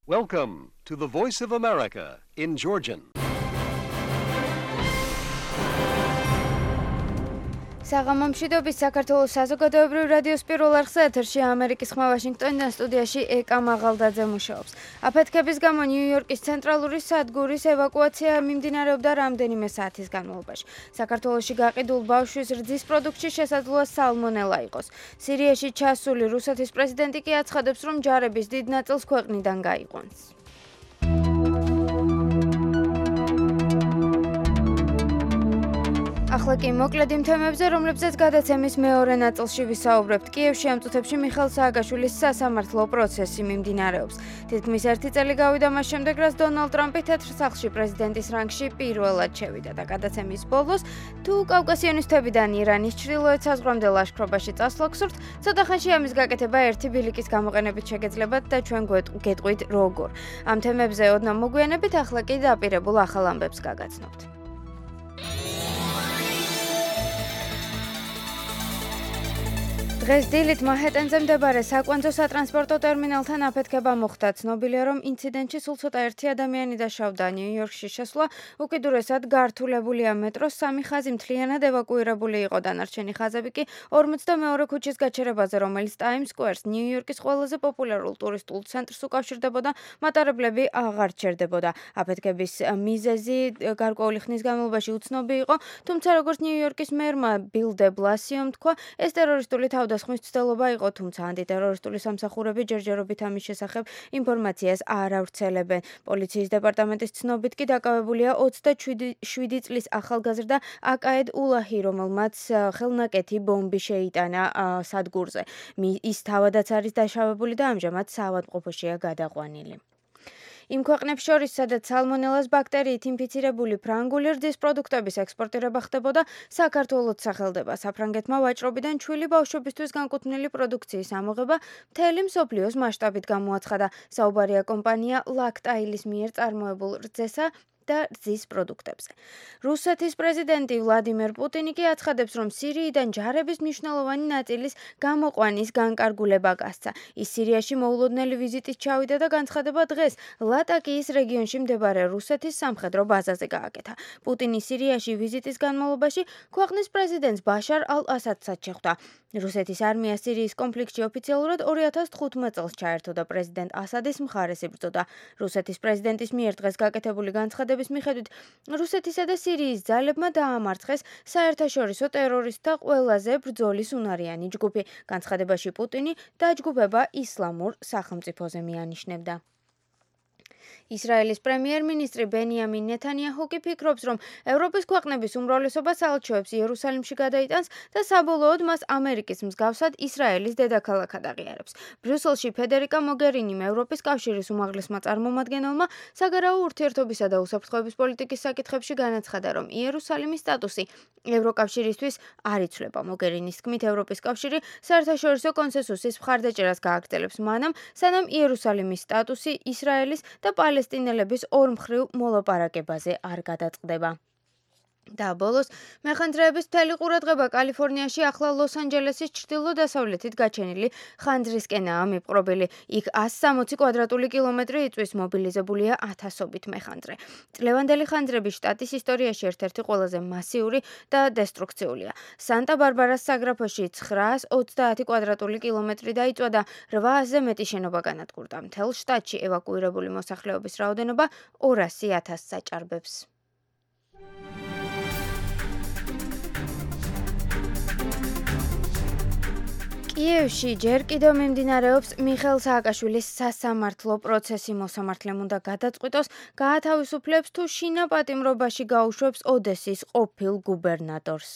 Welcome to the Voice of America in Georgian. საღამომშვიდობის საქართველოს საზოგადოებრივ რადიოს პირველ არხზე ეთერში ამერიკის ხმა ვაშინგტონიდან სტუდიაში ეკა მაღალდაძე მუშაობს. აფეთქების გამო ნიუ-იორკის ცენტრალური სადგურის ევაკუაცია მიმდინარეობდა რამდენიმე საათის განმავლობაში. საქართველოში გაყიდულ ბავშვის რძის პროდუქტში შესაძლოა სალმონელა იყოს. სირიაში ჩასული რუსეთის პრეზიდენტი კი აცხადებს, რომ ჯარების დიდ ნაწილს ქვეყნიდან გაიყვანს. ახლა კი მოკლედ იმ თემებზე, რომლებზეც გადაცემის მეორე ნაწილში ვისაუბრებთ. კიევში ამ წუთებში მიხეილ სააკაშვილის სასამართლო პროცესი მიმდინარეობს. თითქმის 1 წელი გავიდა მას შემდეგ, რაც დონალდ ტრამპი თეთრ სახლში პრეზიდენტის რანგში პირველად შევიდა და გადაცემის ბოლოს თუ კავკასიონისტებიდან ირანის ჩრდილოეთ საზღვრამდე ლაშქრობაში წასვლა გსურთ, ცოტა ხანში ამის გაკეთება ერთი ბილიკის გამოყენებით შეგეძლებათ და ჩვენ გეტყვით როგორ. ამ თემებზე ოდნავ მოგვიანებით, ახლა კი დაპირებულ ახალ ამბებს გაგაცნობთ. დღეს დილით მანჰეტენზე მდებარე საკვანძო სატრანსპორტო ტერმინალთან აფეთქება მოხდა. ცნობილია, რომ ინციდენტში სულ ცოტა ერთი ადამიანი დაშავდა. ნიუ-იორკში შესვლა უკიდურესად გართულებულია მეტროს 3 ხაზი მთლიანად ევაკუირებული იყო. დანარჩენი ხაზები კი 42 ქუჩის გაჩერებაზე, რომელიც ტაიმს სკვერს, ნიუ-იორკის ყველაზე პოპულარულ ტურისტულ ცენტრს უკავშირდებოდა, მატარებლები აღარ ჩერდებოდა. აფეთქების მიზეზი გარკვეული ხნის განმავლობაში უცნობი იყო, თუმცა როგორც ნიუ-იორკის მერმა ბილ დე ბლასიომ თქვა, ეს ტერორისტული თავდასხმის ცდელობა იყო, თუმცა ანტიტერორისტული სამსახურები ჯერჯერობით ამის შესახებ ინფორმაციას არ ავრცელებენ. პოლიციის დეპარტამენტის ცნობით კი დაკავებულია 27 წლის ახალგაზრდა აკაედ ულაჰი, რომელმაც ხელნაკეთი ბომბი შეიტანა სადგურზე. ის თავადაც არის დაშავებული და ამჟამად საავადმყოფოშია გადაყვანილი. იმ ქვეყნებს შორის, სადაც სალმონელას ბაქტერიით ინფიცირებული ფრანგული რძის პროდუქტების ექსპორტირება ხდებოდა, საქართველოც სახელდება. საფრანგეთმა ვაჭრობიდან ჩვილი ბავშვებისთვის განკუთვნილი პროდუქციის ამოღება მთელი მსოფლიოს მასშტაბით გამოაცხადა. საუბარია კომპანია ლაქტაილის მიერ წარმოებულ რძესა და რძის პროდუქტებზე. რუსეთის პრეზიდენტი ვლადიმერ პუტინი კი აცხადებს, რომ სირიიდან ჯარების მნიშვნელოვანი ნაწილის გამოყვანის განკარგულება გასცა. ის სირიაში მოულოდნელი ვიზიტით ჩავიდა და განცხადება დღეს ლატაკიის რეგიონში მდებარე რუსეთის სამხედრო ბაზაზე გააკეთა. პუტინი სირიაში ვიზიტის განმავლობაში ქვეყნის პრეზიდენტს ბაშარ ალ-ასადსაც შეხვდა. რუსეთის არმია სირიის კონფლიქტში ოფიციალურად 2015 წელს ჩაერთო და პრეზიდენტ ასადის მხარეს იბრძოდა. რუსეთის პრეზიდენტის მიერ დღეს გაკეთებული განცხადების მიხედვით, რუსეთისა და სირიის ძალებმა დაამარცხეს საერთაშორისო ტერორისტთა ყველაზე ბრძოლის უნარიანი ჯგუფი. განცხადებაში პუტინი დაჯგუფება ისლამურ სახელმწიფოზე მიანიშნებდა. ისრაელის პრემიერ-მინისტრი ბენიამინ ნეთანიაჰუ კი ფიქრობს, რომ ევროპის ქვეყნების უმრავლესობა საელჩოებს იერუსალიმში გადაიტანს და საბოლოოდ მას ამერიკის მსგავსად ისრაელის დედაქალაქად აღიარებს. ბრიუსელში ფედერიკა მოგერინიმ ევროპის კავშირის უმაღლესმა წარმომადგენელმა საგარეო ურთიერთობისა და უსაფრთხოების პოლიტიკის საკითხებში განაცხადა, რომ იერუსალიმის სტატუსი ევროკავშირისთვის არ იცვლება. მოგერინის თქმით, ევროპის კავშირი საერთაშორისო კონსენსუსის მხარდაჭერას გააგრძელებს მანამ, სანამ იერუსალიმის სტატუსი ისრაელის და პალესტინელების ორმხრივ მოლაპარაკებაზე არ გადაწყდება. და ბოლოს, მეხანძრეების მთელი ყურადღება კალიფორნიაში ახლა ლოს-ანჯელესის ჩრდილო-დასავლეთით გაჩენილი ხანძრისკენაა მიპყრობილი. იქ 160 კვადრატული კილომეტრი იწვის, მობილიზებულია ათასობით მეხანძრე. წლევანდელი ხანძრები შტატის ისტორიაში ერთ-ერთი ყველაზე მასიური და დესტრუქციულია. სანტა-ბარბარას საგრაფოში 930 კვადრატული კილომეტრი დაიწვა და 800-ზე მეტი შენობა განადგურდა. მთელ შტატში ევაკუირებული მოსახლეობის რაოდენობა 200,000 საჭარბებს. კიევში ჯერ კიდევ მიმდინარეობს მიხეილ სააკაშვილის სასამართლო პროცესი. მოსამართლემ უნდა გადაწყვიტოს, გაათავისუფლებს თუ შინაპატიმრობაში გაუშვებს ოდესის ყოფილ გუბერნატორს.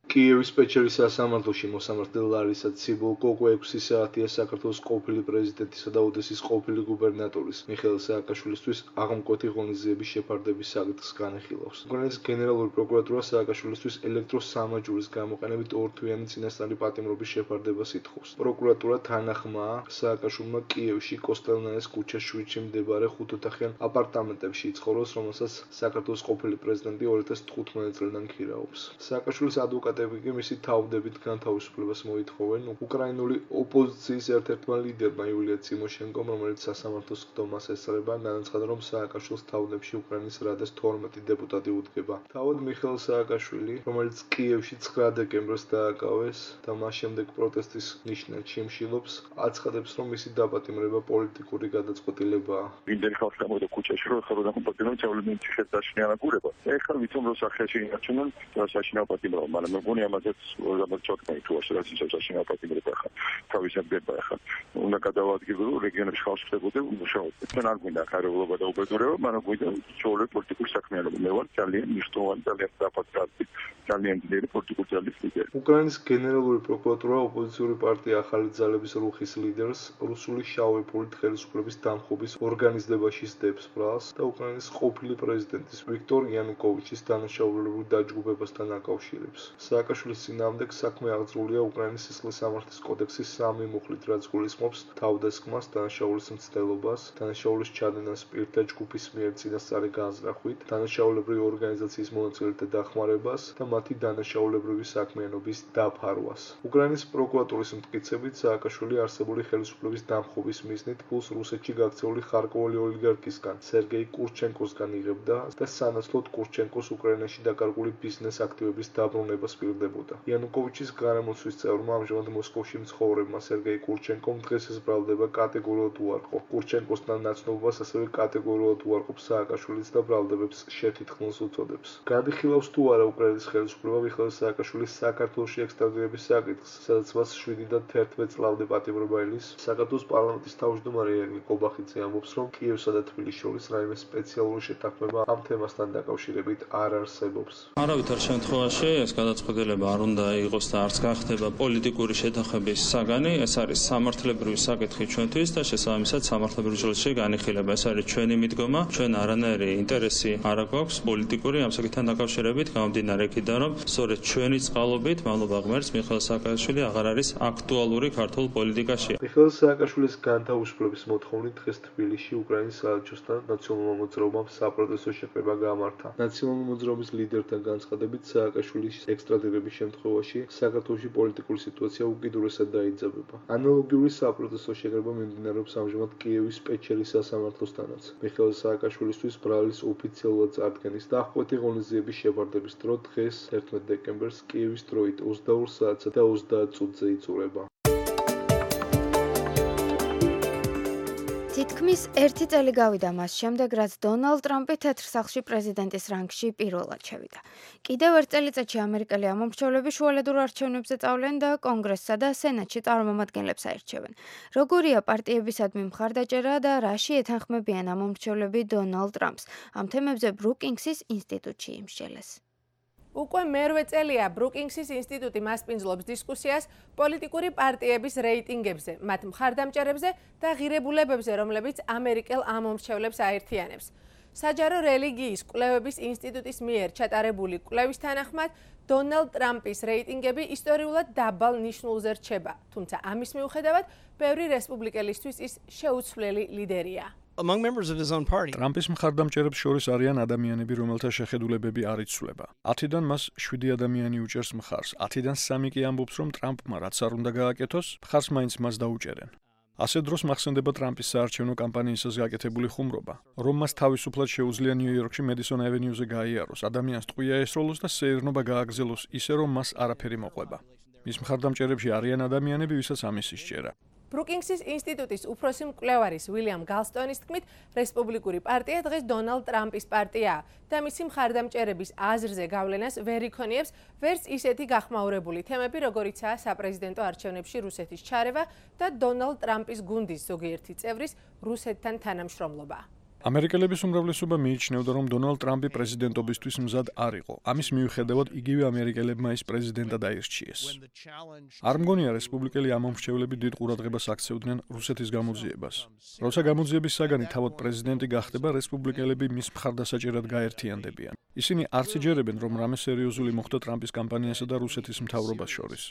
კიევის პეჩერის სასამართლოში მოსამართლე ლარისა ციბულკო 6 საათია საქართველოს ყოფილი პრეზიდენტისა და ოდესის ყოფილი გუბერნატორის მიხეილ სააკაშვილისთვის აღმკვეთი ღონისძიების შეფარდების საკითხს განეხილავს. უკრაინის გენერალური პროკურატურა სააკაშვილისთვის ელექტროსამაჯურის გამოყენებით 2 თვიანი წინასწარი პატიმრობის შეფარდებას ითხოვს. პროკურატურა თანახმაა სააკაშვილმა კიევში კოსტელნაეს ქუჩას 7-ში მდებარე 5 ოთახიან აპარტამენტებში იცხოვროს, რომელსაც საქართველოს ყოფილი პრეზიდენტი 2015 წლიდან ქირაობს. სააკაშვილის ადვოკატი დეპუტატები კი მისი თავდებით განთავისუფლებას მოითხოვენ. უკრაინული ოპოზიციის ერთ-ერთმა ლიდერმა იულია ტიმოშენკომ, რომელიც სასამართლოს ხდომას ესწრება, განაცხადა, რომ სააკაშვილის თავდებში უკრაინის რადას 12 დეპუტატი უდგება. თავად მიხეილ სააკაშვილი, რომელიც კიევში 9 დეკემბერს დააკავეს და მას შემდეგ პროტესტის ნიშნად შიმშილობს, აცხადებს, რომ მისი დაპატიმრება პოლიტიკური გადაწყვეტილებაა. იმდენი ხალხი გამოვიდა ქუჩაში, რომ ეხლა რომ პატიმრობენ ჩავლენით შეძაშნი ანაგურება. ეხლა ვიცი რომ სახეში ინარჩუნონ და საშინაო პატიმრობა, მაგრამ მეგონი ამაზეც რაღაც ჩოთმე თუ ასე რაც საშინაო პატიმრობა ხა. თავისად გება ხა. უნდა გადავადგილო რეგიონებში ხალხს ხდებოდა მუშაობა. თან არ გვინდა ხარებულობა და უბედურება, მაგრამ გვინდა ჩოლე პოლიტიკური საქმიანობა. მე ვარ ძალიან მნიშვნელოვანი ძალიან დაფასებული ძალიან ძლიერი პოლიტიკური ძალის ლიდერი. უკრაინის გენერალური პროკურატურა ოპოზიციური პარტია ახალი ძალების რუხის ლიდერს რუსული შავი ფულით ხელისუფლების დამხობის ორგანიზებაში სდებს ბრალს და უკრაინის ყოფილი პრეზიდენტის ვიქტორ იანუკოვიჩის დანაშაულებრივ დაჯგუფებასთან აკავშირებს. სააკაშვილის წინააღმდეგ საქმე აღძრულია უკრაინის სისხლის სამართლის კოდექსის 3 მუხლით, რაც გულისხმობს თავდასხმას, დანაშაულის მცდელობას, დანაშაულის ჩადენას პირთა ჯგუფის მიერ წინასწარი განზრახვით, დანაშაულებრივი ორგანიზაციის მონაწილეთა დახმარებას და მათი დანაშაულებრივი საქმიანობის დაფარვას. უკრაინის პროკურატურის მტკიცებით, სააკაშვილი არსებული ხელისუფლების დამხობის მიზნით ფულს რუსეთში გაქცეული ხარკოვული ოლიგარქისგან, სერგეი კურჩენკოსგან იღებდა და სანაცვლოდ კურჩენკოს უკრაინაში დაკარგული ბიზნეს აქტივების დაბრუნებას პირდებოდა. იანუკოვიჩის გარემოსვის წევრმა ამჟამად მოსკოვში მცხოვრებმა სერგეი კურჩენკომ დღეს ეს ბრალდება კატეგორიულად უარყო. კურჩენკოსთან ნაცნობობას ასევე კატეგორიულად უარყოფს სააკაშვილიც და ბრალდებებს შეთითქმულს უწოდებს. გადიხილავს თუ არა უკრაინის ხელისუფლება მიხეილ სააკაშვილის საქართველოში ექსტრადირების საკითხს, სადაც მას 7-დან 11 წლამდე პატიმრობა ელის. საქართველოს პარლამენტის თავმჯდომარე ირაკლი კობახიძე ამბობს, რომ კიევსა და თბილისის შორის რაიმე სპეციალური შეთანხმება ამ თემასთან დაკავშირებით არ არსებობს. არავითარ შემთხვევაში ეს გადაწყვეტილება არ უნდა იყოს და არც გახდება პოლიტიკური შეთანხმების საგანი, ეს არის სამართლებრივი საკითხი ჩვენთვის და შესაბამისად სამართლებრივ ჯილში განიხილება. ეს არის ჩვენი მიდგომა, ჩვენ არანაირი ინტერესი არ აქვს პოლიტიკური ამ საკითხთან დაკავშირებით, გამომდინარე იქიდან, რომ სწორედ ჩვენი წყალობით მადლობა ღმერთს მიხეილ სააკაშვილი აღარ არის აქტუალური ქართულ პოლიტიკაში. მიხეილ სააკაშვილის განთავისუფლების მოთხოვნით დღეს თბილისში უკრაინის საელჩოსთან ნაციონალურმა მოძრაობამ საპროტესტო შეკრება გამართა. ნაციონალური მოძრაობის ლიდერთან განცხადებით, სააკაშვილის ექსტრადირების შემთხვევაში საქართველოში პოლიტიკური სიტუაცია უკიდურესად დაიძაბება. ანალოგიური საპროტესტო შეკრება მიმდინარეობს ამჟამად კიევის პეჩერის სასამართლოსთანაც. მიხეილ სააკაშვილისთვის ბრალის ოფიციალურად წარდგენის და აღკვეთი ღონისძიების შევარდების დრო დღეს 11 დეკემბერს კიევის დროით 22 საათსა და 30 წუთზე იწურება. თითქმის 1 წელი გავიდა მას შემდეგ, რაც დონალდ ტრამპი თეთრ სახლში პრეზიდენტის რანგში პირველად შევიდა. კიდევ 1 წელიწადში ამერიკელი ამომრჩევლები შუალედურ არჩევნებზე წავლენ და კონგრესსა და სენატში წარმომადგენლებს აირჩევენ. როგორია პარტიებისადმი მხარდაჭერა და რაში ეთანხმებიან ამომრჩევლები დონალდ ტრამპს? ამ თემებზე ბრუკინგსის ინსტიტუტში იმსჯელეს. უკვე მერვე წელია ბრუკინგსის ინსტიტუტი მასპინძლობს დისკუსიას პოლიტიკური პარტიების რეიტინგებზე, მათ მხარდამჭერებზე და ღირებულებებზე, რომლებიც ამერიკელ ამომრჩევლებს აერთიანებს. საჯარო რელიგიის კვლევების ინსტიტუტის მიერ ჩატარებული კვლევის თანახმად, დონალდ ტრამპის რეიტინგები ისტორიულად დაბალ ნიშნულზე რჩება, თუმცა ამის მიუხედავად, ბევრი რესპუბლიკელისთვის ის შეუცვლელი ლიდერია. ტრამპის მხარდამჭერებს შორის არიან ადამიანები, რომელთა შეხედულებები არ იცვლება. 10-დან მას 7 ადამიანი უჭერს მხარს, 10-დან 3 კი ამბობს, რომ ტრამპმა რაც არ უნდა გააკეთოს, მხარს მაინც მას დაუჭერენ. ასე დროს მახსენდება ტრამპის საარჩევნო კამპანიისას გაკეთებული ხუმრობა, რომ მას თავისუფლად შეუძლია ნიუ-იორკში მედისონ ავენიუზე გაიაროს, ადამიანს ტყვია ესროლოს და სეირნობა გააგრძელოს ისე, რომ მას არაფერი მოყვება. მის მხარდამჭერებში არიან ადამიანები, ვისაც ამის ისჭერა. ბრუკინგსის ინსტიტუტის უფროსი მკვლევარის უილიამ გალსტონის თქმით, რესპუბლიკური პარტია დღეს დონალდ ტრამპის პარტიაა და მისი მხარდამჭერების აზრზე გავლენას ვერ იქონიებს ვერც ისეთი გახმაურებული თემები, როგორიცაა საპრეზიდენტო არჩევნებში რუსეთის ჩარევა და დონალდ ტრამპის გუნდის ზოგიერთი წევრის რუსეთთან თანამშრომლობა. ამერიკელების უმრავლესობა მიიჩნევდა, რომ დონალდ ტრამპი პრეზიდენტობისთვის მზად არ იყო. ამის მიუხედავად, იგივე ამერიკელებმა ის პრეზიდენტად აირჩიეს. არ მგონია რესპუბლიკელი ამომრჩევლები დიდ ყურადღებას აქცევდნენ რუსეთის გამოძიებას. როცა გამოძიების საგანი თავად პრეზიდენტი გახდება, რესპუბლიკელები მის მხარდასაჭერად გაერთიანდებიან. ისინი არც იჯერებენ, რომ რამე სერიოზული მოხდა ტრამპის კამპანიასა და რუსეთის მთავრობას შორის.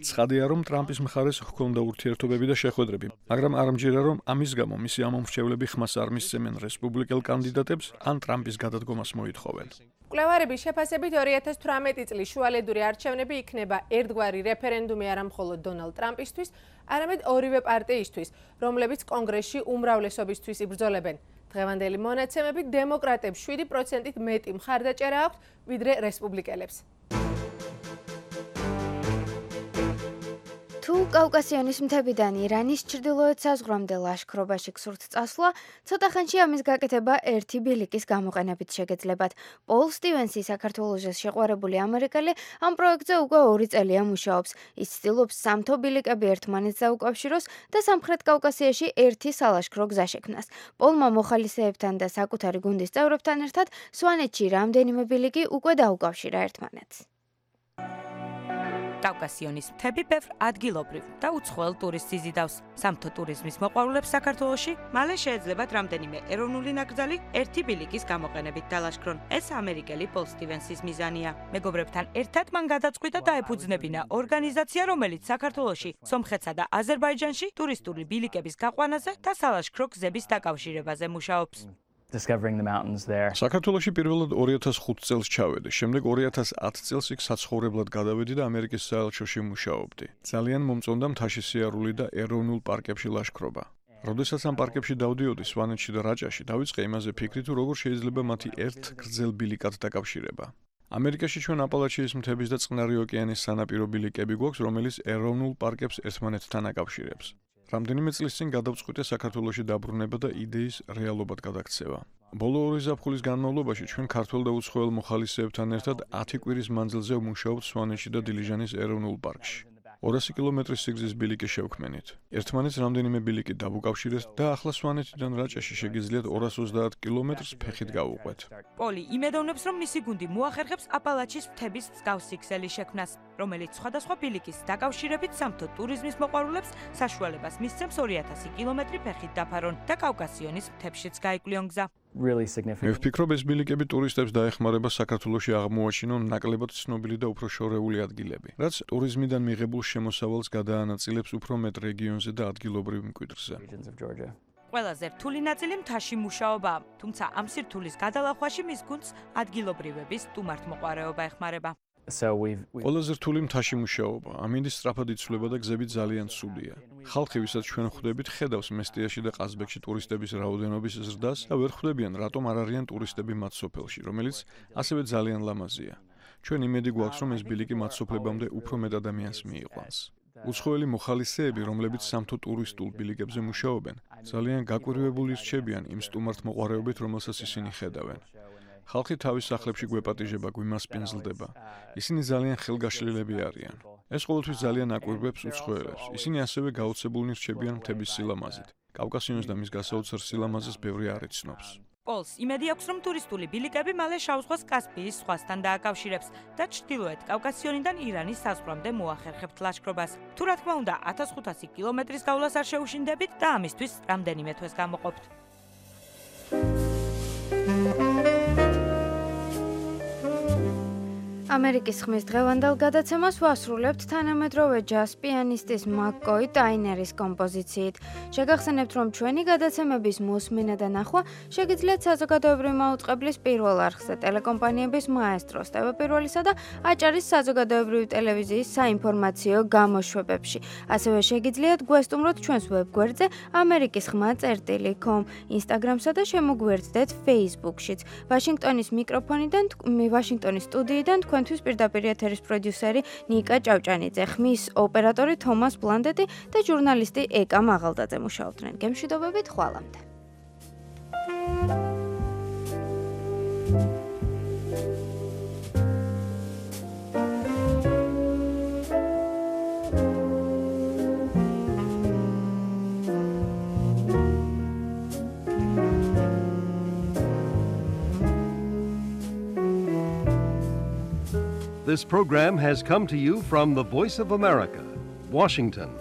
ცხადია, რომ ტრამპის მხარეს ჰქონდა ურთიერთობები და შეხვედრები, მაგრამ არ მჯერა, რომ ამის გამო მისი ამომრჩევლები ხმას არ მისცემენ რესპუბლიკელ კანდიდატებს ან ტრამპის გადადგომას მოითხოვენ. მკვლევარების შეფასებით 2018 წლის შუალედური არჩევნები იქნება ერთგვარი რეფერენდუმი არა მხოლოდ დონალდ ტრამპისთვის, არამედ ორივე პარტიისთვის, რომლებიც კონგრესში უმრავლესობისთვის იბრძოლებენ. დღევანდელი მონაცემებით დემოკრატებს 7%-ით მეტი მხარდაჭერა აქვთ, ვიდრე რესპუბლიკელებს. თუ კავკასიონის მთებიდან ირანის ჩრდილოეთ საზღვრამდე ლაშქრობაში გსურთ წასვლა, ცოტა ხანში ამის გაკეთება ერთი ბილიკის გამოყენებით შეგეძლებათ. პოლ სტივენსი, საქართველოში შეყვარებული ამერიკელი, ამ პროექტზე უკვე 2 წელია მუშაობს. ის ცდილობს სამთო ბილიკები ერთმანეთს დაუკავშიროს და სამხრეთ კავკასიაში ერთი სალაშქრო გზა შექმნას. პოლმა მოხალისეებთან და საკუთარი გუნდის წევრებთან ერთად სვანეთში რამდენიმე ბილიკი უკვე დაუკავშირა ერთმანეთს. კავკასიონის მთები ბევრ ადგილობრივ და უცხოელ ტურისტს იზიდავს. სამთო ტურიზმის მოყვარულებს საქართველოში მალე შეეძლებათ რამდენიმე ეროვნული ნაკრძალი ერთი ბილიკის გამოყენებით დალაშქრონ. ეს ამერიკელი პოლ სტივენსის მიზანია. მეგობრებთან ერთად მან გადაწყვიტა დაეფუძნებინა ორგანიზაცია, რომელიც საქართველოში, სომხეთსა და აზერბაიჯანში ტურისტული ბილიკების გაყვანაზე და სალაშქრო გზების დაკავშირებაზე მუშაობს. საქართველოში პირველად 2005 წელს ჩავედი, შემდეგ 2010 წელს იქ საცხოვრებლად გადავედი და ამერიკის საელჩოში მუშაობდი. ძალიან მომწონდა მთაში სიარული და ეროვნულ პარკებში ლაშქრობა. როდესაც ამ პარკებში დავდიოდი სვანეთში და რაჭაში, დავიწყე იმაზე ფიქრი, თუ როგორ შეიძლება მათი ერთ გრძელ ბილიკად დაკავშირება. ამერიკაში ჩვენ აპალაჩიის მთების და წყნარი ოკეანის სანაპირო ბილიკები გვაქვს, რომელიც ეროვნულ პარკებს ერთმანეთთან აკავშირებს. რამდენიმე წლის წინ გადავწყვიტე საქართველოში დაბრუნება და იდეის რეალობად გადაქცევა. ბოლო 2 ზაფხულის განმავლობაში ჩვენ ქართველ და უცხოელ მოხალისეებთან ერთად 10 კვირის მანძილზე ვმუშაობთ სვანეთში და დილიჟანის ეროვნულ პარკში. 200 კილომეტრის სიგრძის ბილიკი შევქმნით. ერთმანეთს რამდენიმე ბილიკი დავუკავშირეთ და ახლა სვანეთიდან რაჭაში შეგიძლიათ 230 კილომეტრს ფეხით გავუყვეთ. პოლი იმედოვნებს, რომ მისი გუნდი მოახერხებს აპალაჩის მთების მსგავსი ქსელი შექმნას, რომელიც სხვადასხვა ბილიკის დაკავშირებით სამთო ტურიზმის მოყვარულებს საშუალებას მისცემს 2000 კილომეტრი ფეხით დაფარონ და კავკასიონის მთებშიც გაიკვლიონ გზა. მე ვფიქრობ, ეს ბილიკები ტურისტებს დაეხმარება საქართველოში აღმოაჩინონ ნაკლებად ცნობილი და უფრო შორეული ადგილები, რაც ტურიზმიდან მიღებულ შემოსავალს გადაანაწილებს უფრო მეტ რეგიონზე და ადგილობრივ მკვიდრზე. ყველაზე რთული ნაწილი მთაში მუშაობაა, თუმცა ამ სირთულის გადალახვაში მის გუნდს ადგილობრივების სტუმართმოყვარეობა ეხმარება. ყველაზე რთული მთაში მუშაობა, ამინდის სწრაფად იცვლება და გზები ძალიან ცუდია. ხალხი, ვისაც ჩვენ ხვდებით, ხედავს მესტიაში და ყაზბეგში ტურისტების რაოდენობის ზრდას და ვერ ხვდებიან, რატომ არ არიან ტურისტები მათ სოფელში, რომელიც ასევე ძალიან ლამაზია. ჩვენ იმედი გვაქვს, რომ ეს ბილიკი მათ სოფლებამდე უფრო მეტ ადამიანს მიიყვანს. უცხოელი მოხალისეები, რომლებიც სამთო ტურისტულ ბილიკებზე მუშაობენ, ძალიან გაკვირვებული რჩებიან იმ სტუმართმოყვარეობით, რომელსაც ისინი ხედავენ. ხალხი თავის სახლებში გვეპატიჟება, გვიმასპინძლდება. ისინი ძალიან ხელგაშლილები არიან. ეს ყოველთვის ძალიან აკვირვებს უცხოელებს. ისინი ასევე გაოცებულნი რჩებიან მთების სილამაზით. კავკასიონს და მის გასაოცარ სილამაზეს ბევრი არ იცნობს. პოლს იმედი აქვს, რომ ტურისტული ბილიკები მალე შავ ზღვას კასპიის ზღვასთან დააკავშირებს და ჩრდილოეთ კავკასიონიდან ირანის საზღვრამდე მოახერხებთ ლაშქრობას. თუ რა თქმა უნდა, 1500 კილომეტრის გავლას არ შეუშინდებით და ამისთვის რამდენიმე თვეს გამოყოფთ. ამერიკის ხმის დღევანდელ გადაცემას ვასრულებთ თანამედროვე ჯაზ პიანისტის მაკკოი ტაინერის კომპოზიციით. შეგახსენებთ, რომ ჩვენი გადაცემების მოსმენა და ნახვა შეგიძლიათ საზოგადოებრივი მაუწყებლის პირველ არხზე, ტელეკომპანიების მაესტროს, TV1-სა და აჭარის საზოგადოებრივი ტელევიზიის საინფორმაციო გამოშვებებში. ასევე შეგიძლიათ გვესტუმროთ ჩვენს ვებგვერდზე amerikisxma.com, Instagram-სა და შემოგვიერთდეთ Facebook-შიც. ვაშინგტონის ვაშინგტონის სტუდიიდან თქვენთვის პირდაპირ ეთერის პროდიუსერი ნიკა ჭავჭანიძე, ხმის ოპერატორი თომას ბლანდეტი და ჟურნალისტი ეკა მაღალდაძე მუშაობდნენ. გემშვიდობებით, ხვალამდე. This program has come to you from the Voice of America, Washington.